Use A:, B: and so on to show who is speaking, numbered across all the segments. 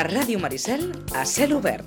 A: A Ràdio Maricel, a cel obert.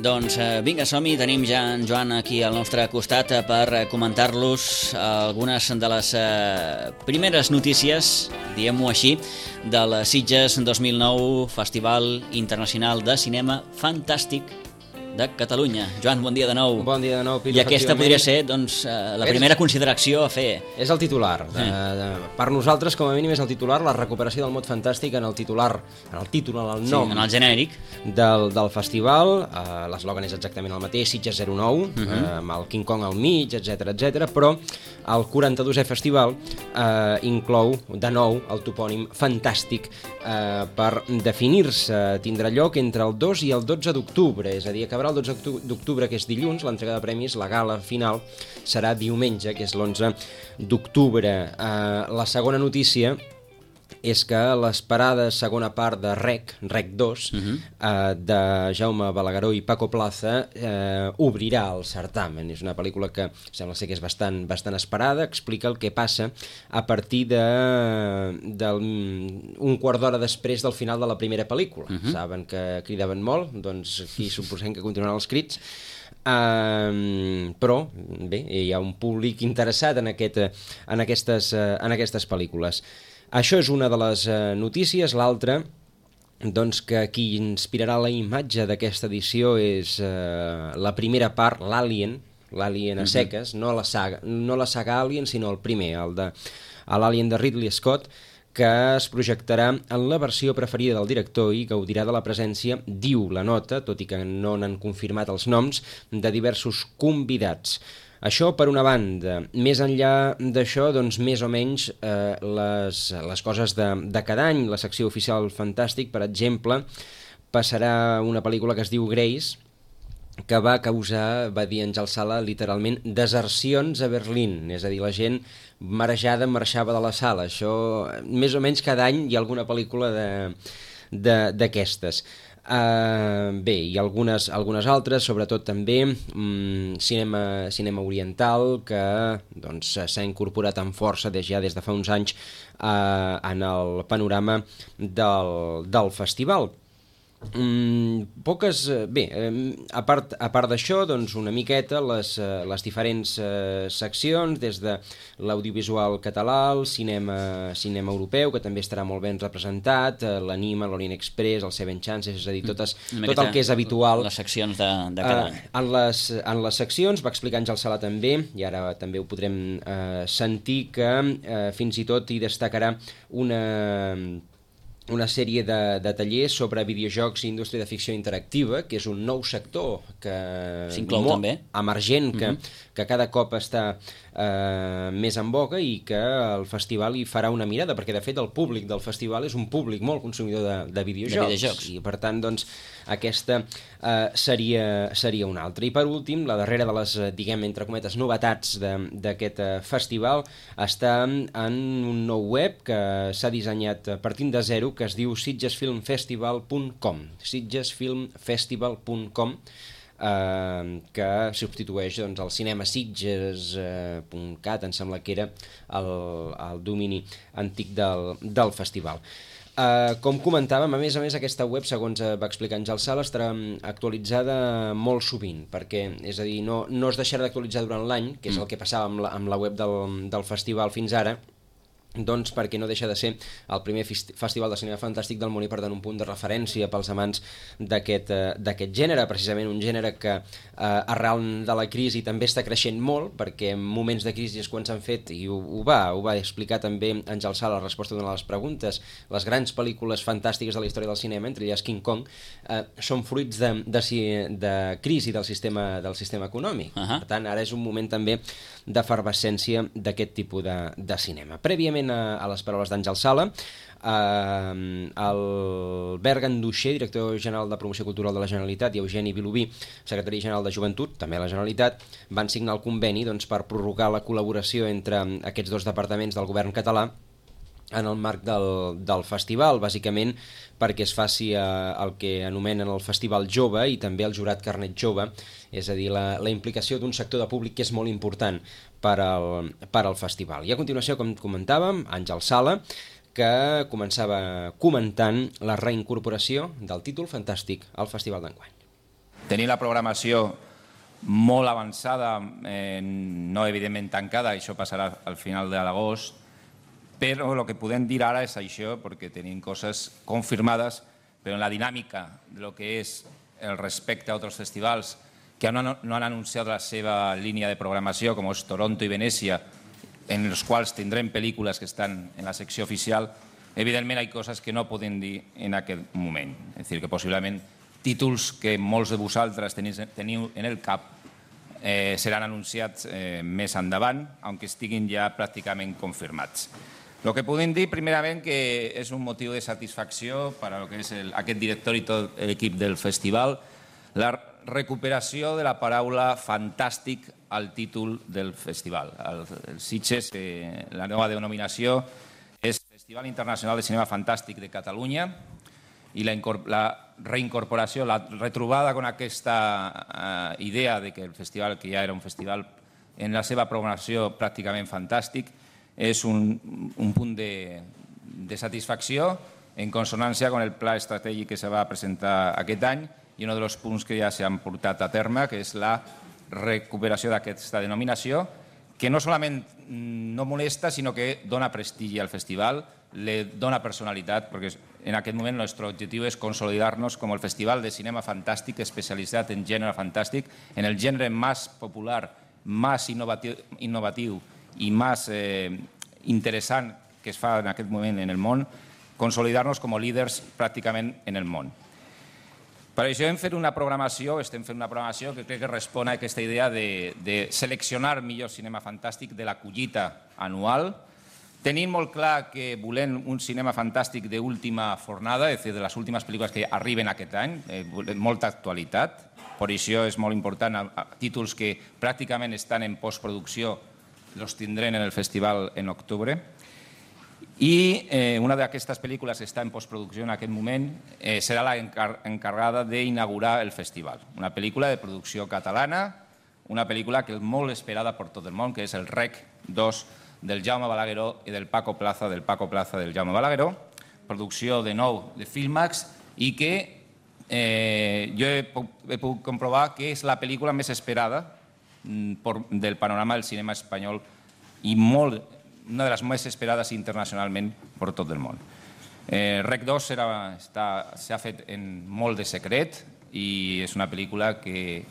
B: Doncs vinga, som-hi, tenim ja en Joan aquí al nostre costat per comentar-los algunes de les primeres notícies, diguem-ho així, del Sitges 2009, Festival Internacional de Cinema Fantàstic de Catalunya. Joan, bon dia de nou.
C: Bon dia de nou, Pili.
B: I aquesta podria ser doncs, la primera consideració a fer.
C: És el titular. Per nosaltres, com a mínim, és el titular, la recuperació del mot fantàstic en el titular, en el títol, en el nom.
B: Sí, en el genèric.
C: Del festival. L'eslògan és exactament el mateix, Sitges 09, amb el King Kong al mig, etc, però el 42è festival inclou de nou el topònim fantàstic per definir-se. Tindrà lloc entre el 2 i el 12 d'octubre, és a dir, acabarà el 12 d'octubre, que és dilluns, l'entrega de premis, la gala final serà diumenge, que és l'11 d'octubre. La segona notícia és que l'esperada segona part de Rec 2, de Jaume Balagueró i Paco Plaza, obrirà el certamen. És una pel·lícula que sembla ser que és bastant esperada, explica el que passa a partir d'un quart d'hora després del final de la primera pel·lícula. Saben que cridaven molt, doncs aquí suposem que continuaran els crits. Però bé, hi ha un públic interessat en aquestes pel·lícules. Això és una de les notícies. L'altra, doncs, que qui inspirarà la imatge d'aquesta edició és la primera part, l'Alien a seques, no la saga Alien, sinó el primer, l'Alien de Ridley Scott, que es projectarà en la versió preferida del director i gaudirà de la presència, diu la nota, tot i que no n'han confirmat els noms, de diversos convidats. Això per una banda. Més enllà d'això, doncs més o menys les coses de cada any. La secció oficial Fantàstic, per exemple, passarà una pel·lícula que es diu Grace, que va causar, va dir Àngel Sala, literalment desercions a Berlín, és a dir, la gent marejada marxava de la sala. Això, més o menys cada any hi ha alguna pel·lícula d'aquestes. Bé, i algunes altres, sobretot també cinema oriental, que doncs, s'ha incorporat amb força des de fa uns anys en el panorama del festival. Bé, a part d'això, doncs una miqueta les diferents seccions, des de l'audiovisual català, el cinema europeu, que també estarà molt ben representat, l'Anima, l'Orient Express, el Seven Chances, és a dir, tot el que és habitual.
B: Les seccions de cada any.
C: En les seccions, va explicar Àngel Sala també, i ara també ho podrem sentir, que fins i tot hi destacarà una sèrie de tallers sobre videojocs i indústria de ficció interactiva, que és un nou sector que
B: s'inclou també
C: emergent, que cada cop està més en boga, i que el festival hi farà una mirada, perquè de fet el públic del festival és un públic molt consumidor de videojocs. I per tant, doncs, aquesta seria una altra. I per últim, la darrera de les, diguem, entre cometes, novetats d'aquest festival està en un nou web que s'ha dissenyat partint de zero, que es diu sitgesfilmfestival.com, sitgesfilmfestival.com, que substitueix doncs, el cinemasitges.cat, em sembla que era el domini antic del festival. Com comentàvem, a més, aquesta web, segons va explicar Àngel Sala, estarà actualitzada molt sovint, perquè, és a dir, no es deixarà d'actualitzar durant l'any, que és el que passava amb la web del festival fins ara, doncs perquè no deixa de ser el primer festival de cinema fantàstic del món i per tant un punt de referència pels amants d'aquest gènere, precisament un gènere que arrel de la crisi també està creixent molt, perquè en moments de crisi és quan s'han fet, i ho va explicar també Àngel Sala a la resposta d'una de les preguntes, les grans pel·lícules fantàstiques de la història del cinema, entre elles King Kong, són fruits de crisi del sistema econòmic. Per tant, ara és un moment també d'efervescència d'aquest tipus de cinema. Prèviament atentament a les paraules d'Àngel Sala. Albert Ganduixer, director general de Promoció Cultural de la Generalitat, i Eugeni Vilobí, secretari general de Joventut, també a la Generalitat, van signar el conveni per prorrogar la col·laboració entre aquests dos departaments del govern català en el marc del festival, bàsicament perquè es faci el que anomenen el Festival Jove i també el Jurat Carnet Jove, és a dir, la implicació d'un sector de públic que és molt important per al festival. I a continuació, com comentàvem, Àngel Sala, que començava comentant la reincorporació del títol fantàstic al Festival d'enguany.
D: Tenir la programació molt avançada, no evidentment tancada, això passarà al final de l'agost, però el que podem dir ara és això, perquè tenim coses confirmades, però en la dinàmica del que és el respecte a altres festivals que no han anunciat la seva línia de programació, com és Toronto i Venècia, en els quals tindrem pel·lícules que estan en la secció oficial, evidentment hi ha coses que no podem dir en aquest moment. És a dir, que possiblement títols que molts de vosaltres teniu en el cap seran anunciats més endavant, aunque estiguin ja pràcticament confirmats. El que podem dir, primerament, que és un motiu de satisfacció per a que és aquest director i tot l'equip del festival, la recuperació de la paraula fantàstic al títol del festival. El Sitges, la nova denominació, és Festival Internacional de Cinema Fantàstic de Catalunya, i la reincorporació, la retrobada amb aquesta idea de que el festival, que ja era un festival en la seva programació pràcticament fantàstic, és un punt de satisfacció en consonància amb el pla estratègic que se va presentar aquest any i un dels punts que ja s'han portat a terme, que és la recuperació d'aquesta denominació, que no solament no molesta, sinó que dona prestigi al festival, le dona personalitat, perquè en aquest moment el nostre objectiu és consolidar-nos com el festival de cinema fantàstic especialitzat en gènere fantàstic, en el gènere més popular, més innovatiu i més interessant que es fa en aquest moment en el món, consolidar-nos com a líders pràcticament en el món. Per això estem fent una programació que crec que respon a aquesta idea de seleccionar millor cinema fantàstic de la collita anual. Tenim molt clar que volem un cinema fantàstic d'última fornada, és a dir, de les últimes pel·lícules que arriben aquest any, molta actualitat. Per això és molt important, títols que pràcticament estan en postproducció els tindrem en el festival en octubre. I una d'aquestes pel·lícules que està en postproducció en aquest moment serà l'encarregada d'inaugurar el festival. Una pel·lícula de producció catalana, una pel·lícula que és molt esperada per tot el món, que és el REC 2 del Jaume Balagueró i del Paco Plaza del Jaume Balagueró, producció de nou de Filmax, i que jo he pogut comprovar que és la pel·lícula més esperada del panorama del cinema espanyol i una de les més esperades internacionalment per tot el món. REC 2 s'ha fet en molt de secret i és una pel·lícula que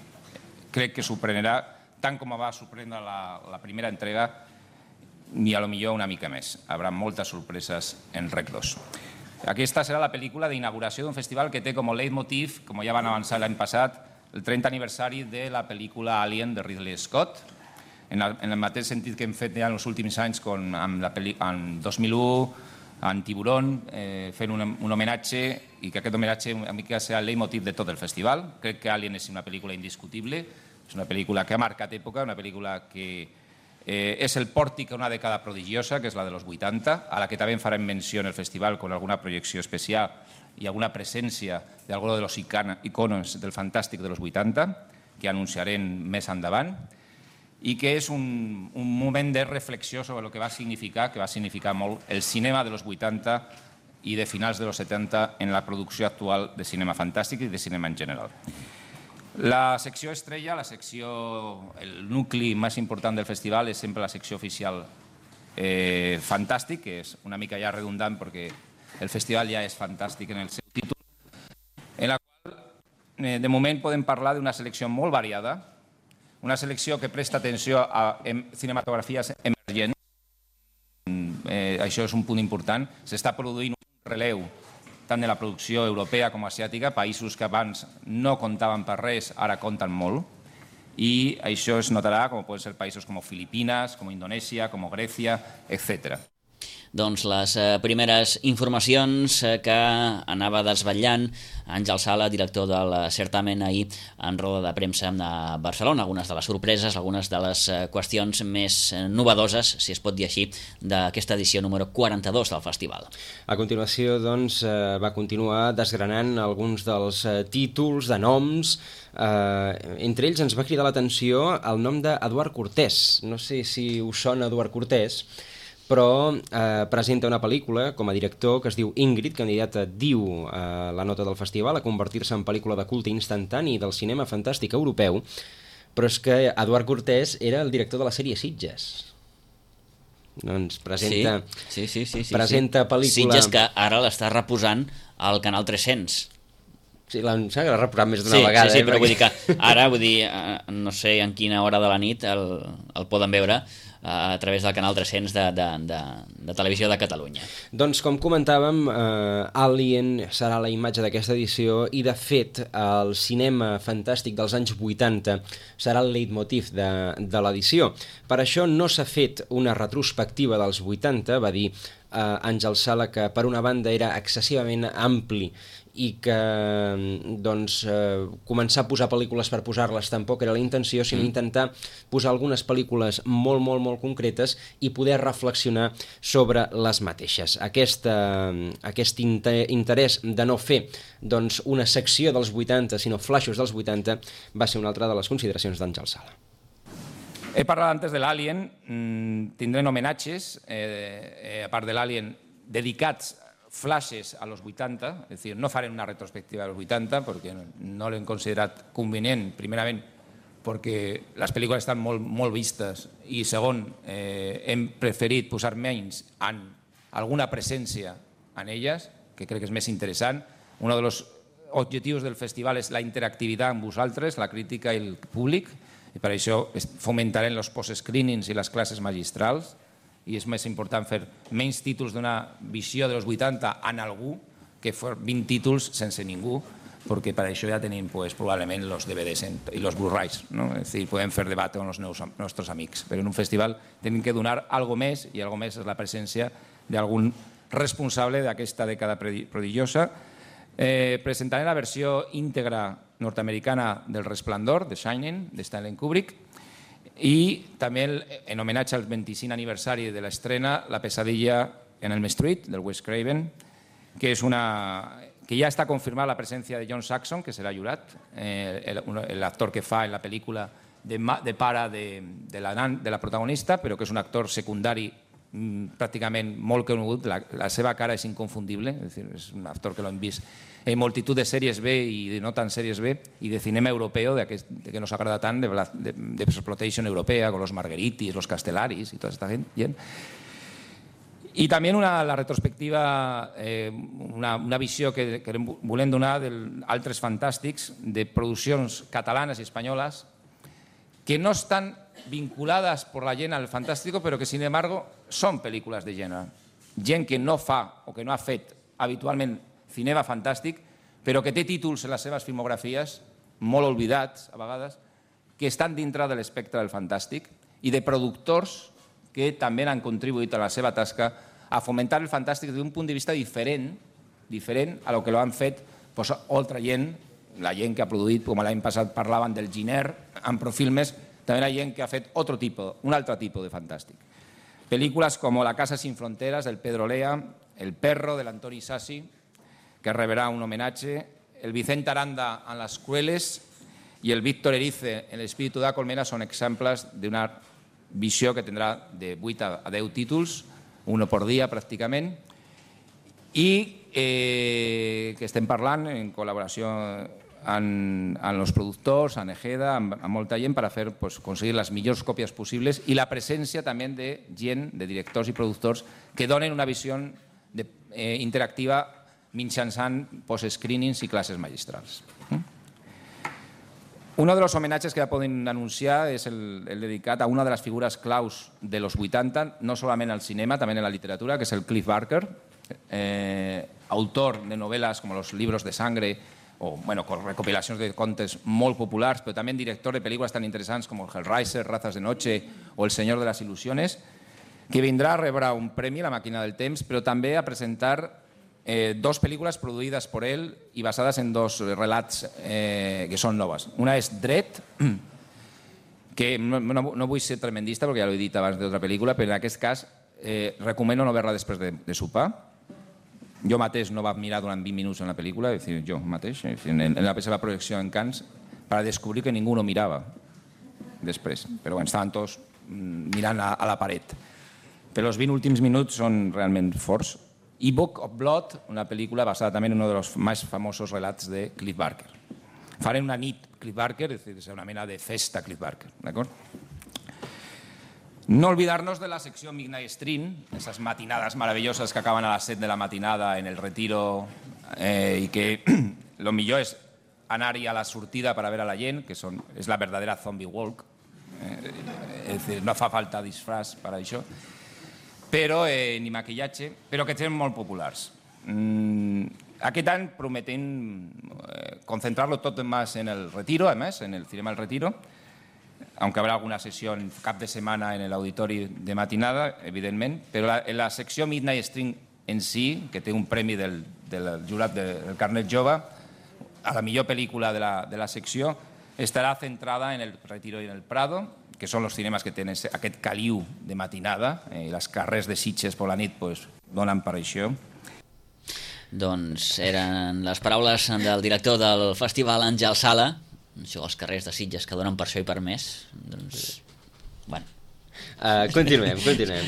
D: crec que sorprendrà tant com va sorprendre la primera entrega i potser una mica més. Hi haurà moltes sorpreses en REC 2. Aquesta serà la pel·lícula d'inauguració d'un festival que té com a leitmotiv, com ja van avançar l'any passat, el 30 aniversari de la pel·lícula Alien de Ridley Scott, en el mateix sentit que hem fet ja en els últims anys en 2001, en Tiburón, fent un homenatge i que aquest homenatge una mica serà el leitmotiv de tot el festival. Crec que Alien és una pel·lícula indiscutible, és una pel·lícula que ha marcat època, una pel·lícula que és el pòrtic a una dècada prodigiosa, que és la de los 80, a la que també farem menció en el festival amb alguna projecció especial i alguna presència d'alguns dels iconos del fantàstic de los 80, que anunciarem més endavant, i que és un moment de reflexió sobre el que va significar molt el cinema de los 80 i de finals de los 70 en la producció actual de cinema fantàstic i de cinema en general. La secció estrella, el nucli més important del festival és sempre la secció oficial fantàstic, que és una mica ja redundant perquè el festival ja és fantàstic en el seu títol, en la qual de moment podem parlar d'una selecció molt variada, una selecció que presta atenció a cinematografies emergents. Això és un punt important. S'està produint un relleu tant de la producció europea com asiàtica, països que abans no comptaven per res, ara compten molt, i això es notarà com poden ser països com Filipines, com Indonèsia, com Grècia, etc.
B: doncs, les primeres informacions que anava desvetllant Àngel Sala, director del certamen, ahir en roda de premsa a Barcelona. Algunes de les sorpreses, algunes de les qüestions més novedoses, si es pot dir així, d'aquesta edició número 42 del festival.
C: A continuació, doncs, va continuar desgranant alguns dels títols, de noms. Entre ells ens va cridar l'atenció el nom d'Eduard Cortés. No sé si us sona Eduard Cortés, però presenta una pel·lícula com a director que es diu Ingrid, candidata, diu la nota del festival, a convertir-se en pel·lícula de culte instantani del cinema fantàstic europeu, però és que Eduard Cortés era el director de la sèrie Sitges. Doncs presenta pel·lícula...
B: Sitges, que ara l'està reposant al Canal 300.
C: Sí, l'ha reposat més d'una vegada.
B: Sí, però vull dir que ara, no sé en quina hora de la nit el poden veure a través del Canal 300 de Televisió de Catalunya.
C: Doncs, com comentàvem, Alien serà la imatge d'aquesta edició i, de fet, el cinema fantàstic dels anys 80 serà el leitmotiv de l'edició. Per això no s'ha fet una retrospectiva dels 80, va dir Àngel Sala, que per una banda era excessivament ampli i que doncs, començar a posar pel·lícules per posar-les tampoc era la intenció, sinó intentar posar algunes pel·lícules molt, molt, molt concretes i poder reflexionar sobre les mateixes. Aquest interès de no fer doncs, una secció dels 80, sinó flaixos dels 80, va ser una altra de les consideracions d'Àngel Sala.
D: He parlat antes de l'Alien, tindrem homenatges, a part de l'Alien, dedicats flashes a los 80, es decir, no farem una retrospectiva de los 80 perquè no l'hem considerat convenient, primerament perquè les pel·lícules estan molt vistes i segon, hem preferit posar menys en alguna presència en elles, que crec que és més interessant. Un dels objectius del festival és la interactivitat amb vosaltres, la crítica i el públic, i per això fomentarem els post-screenings i les classes magistrals, i és més important fer menys títols d'una visió dels 80 en algú que fer 20 títols sense ningú, perquè per això ja tenim probablement els DVDs i els Blu-rays, no? És dir, podem fer debat amb els nostres amics, però en un festival tenim que donar alguna més, i alguna més és la presència d'algun responsable d'aquesta dècada prodigiosa. Presentaré la versió íntegra nord-americana del Resplendor, The Shining, de Stanley Kubrick, i també en homenatge al 25 aniversari de l'estrena La pesadilla en Elm Street, del Wes Craven, que ja està confirmada la presència de John Saxon, que serà jurat, l'actor que fa en la pel·lícula de pare de la protagonista, però que és un actor secundari pràcticament molt conegut. La seva cara és inconfundible, és un actor que l'hem vist en multitud de sèries B i de no tan sèries B i de cinema europeu, que nos agrada tant, de exploitation europea, con los Margheritis, los Castellaris i tota aquesta gent. I també la retrospectiva, una visió que volem donar d'altres fantàstics, de produccions catalanes i espanyoles que no estan vinculadas por la gent al fantàstico, però que, sin embargo, són pel·lícules de gènere. Gent que no fa o que no ha fet habitualment cinema fantàstic, però que té títols en les seves filmografies, molt oblidats a vegades, que estan dintre de l'espectre del fantàstic, i de productors que també han contribuït a la seva tasca a fomentar el fantàstic d'un punt de vista diferent a lo que l'han fet altra gent, la gent que ha produït, com l'any passat parlaven del Giner, en Profilmes, també la gent que ha fet un altre tipus de fantàstic. Pel·lícules com La casa sin fronteras, del Pedro Lea, El perro, de l'Antoni Sassi, que rebrà un homenatge, el Vicente Aranda en Les Crueles i el Víctor Erice en l'Espíritu de la Colmena són exemples d'una visió que tindrà de 8 a 10 títols, un per dia pràcticament, i que estem parlant en col·laboració amb els productors, amb Egeda, amb molta gent, per aconseguir les millors còpies possibles, i la presència també de gent, de directors i productors, que donen una visió interactiva mitjançant post-screenings i classes magistrals. Un dels homenatges que ja poden anunciar és el dedicat a una de les figures claus de los 80, no solament al cinema, també en la literatura, que és el Cliff Barker, autor de novel·les com Los libros de sangre, o recopilacions de contes molt populars, però també director de pel·lícules tan interessants com el Hellraiser, Razas de noche o El señor de las ilusiones. que vindrà a rebre un premi a la Màquina del Temps, però també a presentar dos pel·lícules produïdes per ell i basades en dos relats que són noves. Una és Dret, que no vull ser tremendista perquè ja l'he dit abans d'altra pel·lícula, però en aquest cas recomano no veure-la després de sopar. Jo mateix no vaig mirar durant 20 minuts en la pel·lícula, és a dir, jo mateix, en la seva projecció en Cannes, per descobrir que ningú no mirava després. Però bueno, estaven tots mirant a la paret. Però els 20 últims minuts són realment forts. I Book of Blood, una pel·lícula basada també en un dels més famosos relats de Clive Barker. Farem una nit Clive Barker, és a dir, una mena de festa Clive Barker, d'acord? No olvidar-nos de la secció Midnight Stream, esas matinades maravilloses que acaben a les 7 de la matinada en el Retiro i que lo millor és anar-hi a la sortida per a veure a la gent, que és la verdadera zombie walk, és dir, no fa falta disfraç per a això, però ni maquillatge, però que són molt populars. Aquest any prometem concentrar-lo tot més en el Retiro, a més, en el Cinema El Retiro, aunque habrá alguna sessió en cap de setmana en l'auditori de matinada, evidentment, però la secció Midnight Stream en si, que té un premi del jurat del Carnet Jove, a la millor pel·lícula de la secció, estarà centrada en el Retiro i en el Prado, que són els cinemes que tenen aquest caliu de matinada, i les carrers de Sitges per la nit donen per això.
B: Doncs eren les paraules del director del festival, Àngel Sala. Això, els carrers de Sitges que donen per això i per més. Doncs, bueno.
C: Continuem.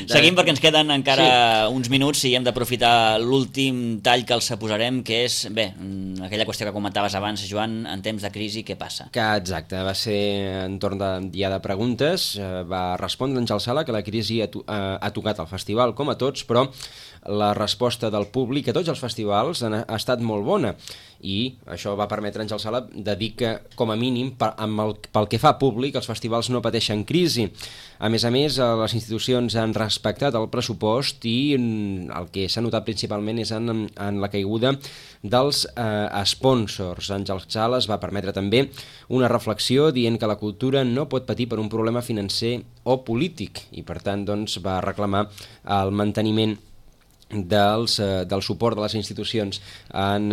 B: Seguim perquè ens queden encara uns minuts i hem d'aprofitar l'últim tall que els posarem, que és, bé, aquella qüestió que comentaves abans, Joan, en temps de crisi, què passa?
C: Exacte, va ser en torn de dia de preguntes, va respondre Àngel Sala que la crisi ha tocat el festival com a tots, però la resposta del públic a tots els festivals ha estat molt bona i això va permetre a Àngel Sala de dir que, com a mínim, pel que fa a públic, els festivals no pateixen crisi. A més, les institucions han respectat el pressupost i el que s'ha notat principalment és en la caiguda dels sponsors. Àngel Sala va permetre també una reflexió dient que la cultura no pot patir per un problema financer o polític i, per tant, doncs, va reclamar el manteniment del suport de les institucions en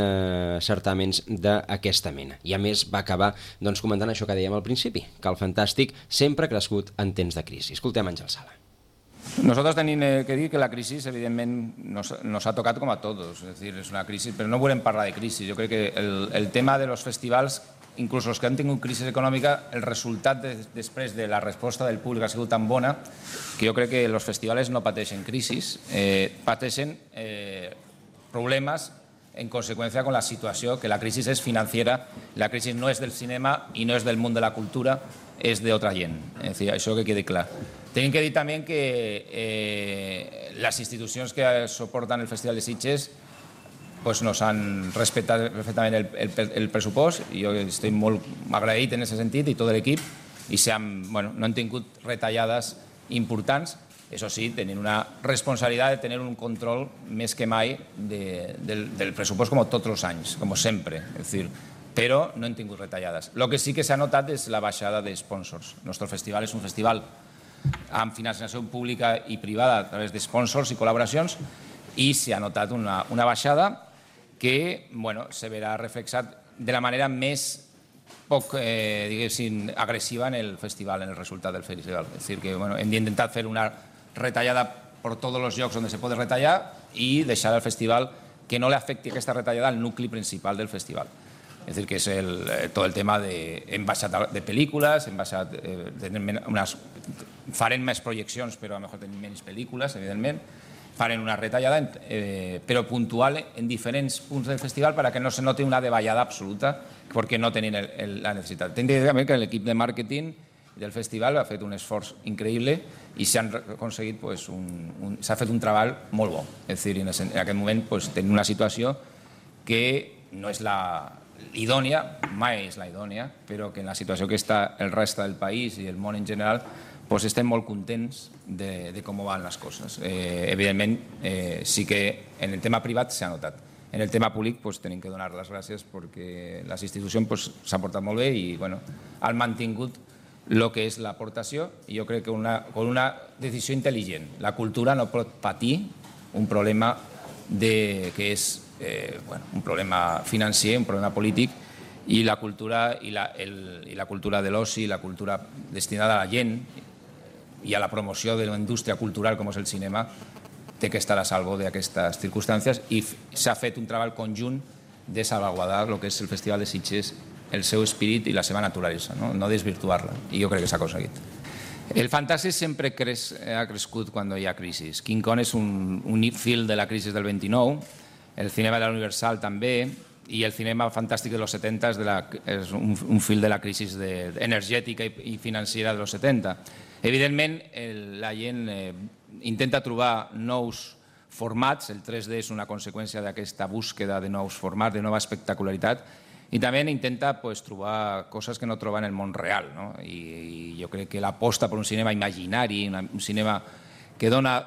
C: certàmens d'aquesta mena. I a més va acabar comentant això que dèiem al principi, que el fantàstic sempre ha crescut en temps de crisi. Escoltem Àngel Sala.
D: Nosotros tenemos que dir que la crisis evidentemente nos ha tocado como a todos, es decir, es una crisis, pero no volem parlar de crisis. Yo creo que el tema de los festivals, inclús els que han tingut crisi econòmica, el resultat després de la resposta del públic ha sigut tan bona que jo crec que els festivals no pateixen crisis, pateixen problemes en conseqüència con la situació, que la crisi és financiera, la crisi no és del cinema i no és del món de la cultura, és d'altra gent. És dir, això que quedi clar. Tenim que dir també que les institucions que soporten el Festival de Sitges nos han respetado perfectamente el pressupost i jo estic molt agraït en aquest sentit i tot l'equip i no han tingut retallades importants, això sí, tenen una responsabilitat de tenir un control més que mai del pressupost com tots els anys, com sempre, és dir, però no han tingut retallades. El que sí que s'ha notat és la baixada de sponsors. El nostre festival és un festival amb financiació pública i privada a través de sponsors i col·laboracions i s'ha notat una baixada que se verà reflexat de la manera més poc, diguéssim, agressiva en el festival, en el resultat del festival. És a dir, que hem d'intentar fer una retallada per tots els llocs on se pot retallar i deixar el festival que no li afecti aquesta retallada al nucli principal del festival. És a dir, que és tot el tema hem baixat de pel·lícules, farem més projeccions però a lo mejor tenim menys pel·lícules, evidentment, farem una retallada, però puntual en diferents punts del festival perquè no se noti una davallada absoluta perquè no tenen la necessitat. Tinc de dir també que l'equip de màrqueting del festival ha fet un esforç increïble i s'ha aconseguit, s'ha fet un treball molt bo. És a dir, en aquest moment tenim una situació que no és la idònia, mai és la idònia, però que en la situació que està el reste del país i el món en general estem molt contents de com van les coses. Evidentment, sí que en el tema privat s'ha notat. En el tema públic tenim que donar les gràcies perquè les institucions s'han portat molt bé i han mantingut el que és l'aportació, i jo crec que con una decisió intel·ligent. La cultura no pot patir un problema que és un problema financer, un problema polític, i la cultura de l'oci, la cultura destinada a la gent i a la promoció de la indústria cultural com és el cinema, té que estar a salvo d'aquestes circumstàncies, i s'ha fet un treball conjunt de salvaguardar el que és el Festival de Sitges, el seu espírit i la seva naturalesa, no desvirtuar-la, i jo crec que s'ha aconseguit. El fantàstic sempre ha crescut quan hi ha crisi. King Kong és un fil de la crisi del 29, el cinema de la Universal també, i el cinema fantàstic de los 70 és un fil de la crisi energètica i financera de los 70. Evidentment, la gent intenta trobar nous formats, el 3D és una conseqüència d'aquesta búsqueda de nous formats, de nova espectacularitat, i també intenta trobar coses que no troba en el món real. I jo crec que l'aposta per un cinema imaginari, un cinema que dona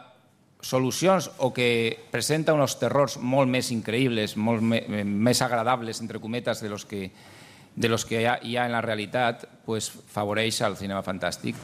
D: solucions o que presenta uns terrors molt més increïbles, molt més agradables, entre cometes, de los que hi ha en la realitat, favoreix el cinema fantàstic.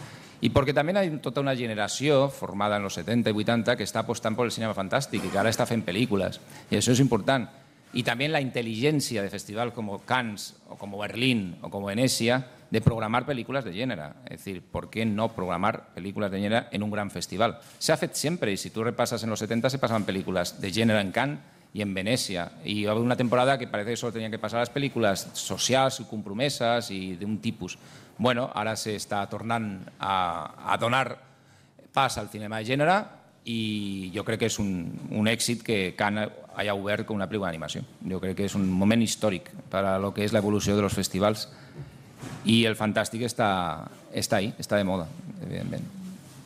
D: I perquè també hi ha tota una generació formada en els 70 i 80 que està apostant per el cinema fantàstic i que ara està fent pel·lícules, i això és important. I també la intel·ligència de festivals com Cannes o com Berlín o com Venècia de programar pel·lícules de gènere. És dir, ¿por qué no programar pel·lícules de gènere en un gran festival? S'ha fet sempre, i si tu repasses en los 70 se pasaven pel·lícules de gènere en Cannes i en Venècia. I hi va haver una temporada que parece que solo tenien que passar les pel·lícules socials i compromeses i d'un tipus. Bueno, ara s'està tornant a donar pas al cinema de gènere, i jo crec que és un èxit que Cannes haya obert com una pel·lícula d'animació. Jo crec que és un moment històric per a lo que és l'evolució de los festivals, i el fantàstic està ahí, està de moda, evidentment.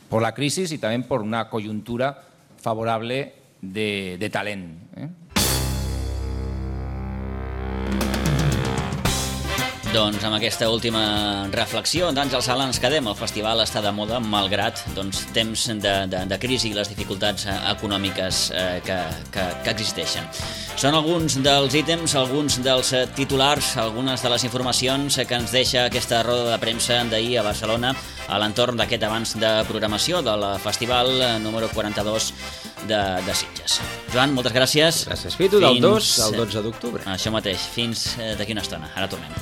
D: Per la crisi i també per una conjuntura favorable de talent.
B: Doncs amb aquesta última reflexió d'Àngel Sala ens quedem. El festival està de moda malgrat temps de crisi i les dificultats econòmiques que existeixen. Són alguns dels ítems, alguns dels titulars, algunes de les informacions que ens deixa aquesta roda de premsa d'ahir a Barcelona a l'entorn d'aquest avanç de programació del festival número 42 de Sitges. Joan, moltes gràcies.
C: Gràcies, Pitu, del 2 al 12 d'octubre.
B: Això mateix, fins d'aquí una estona. Ara tornem.